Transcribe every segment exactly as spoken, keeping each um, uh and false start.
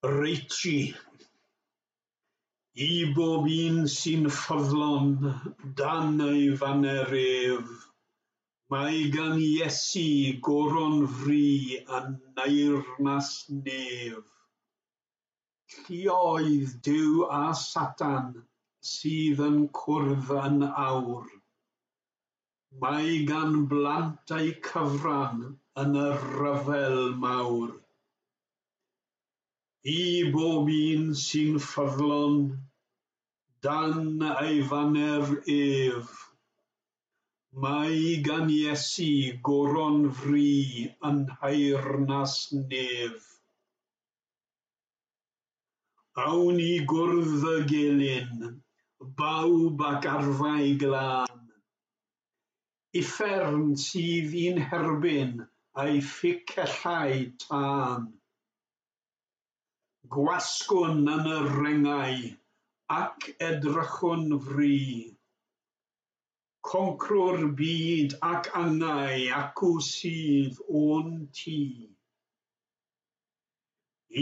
Reichi. I bob un sy'n ffyddlon dan ei faner ef, mae gan Iesu goron fri yn nheyrnas nef. Lluoedd Duw a Satan sydd yn cwrdd yn awr. Mae gan blant eu cyfran yn y rhyfel mawr. I bob un sy'n ffyddlon dan ei faner ef, mae gan Iesu goron fri yn nheyrnas nef. Awn i gwrdd y gelyn, bawb ac arfau glân. Uffern sydd i'n herbyn a'i phicellau tân. Gwasgwn yn y rengau ac edrychwn fri. Concrwr byd ac angau acw sydd o'n tŷ.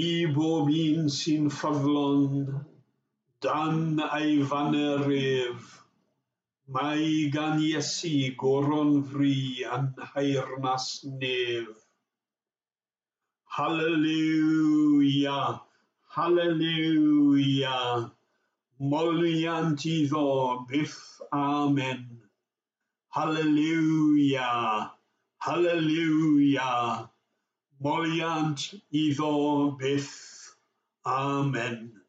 I bob un sy'n ffyddlon dan ei faner ef, mae gan Iesu goron fri yn nheyrnas nef. Haleliwia, haleliwia, moliant iddo byth amen. Haleliwia, haleliwia, moliant iddo byth amen.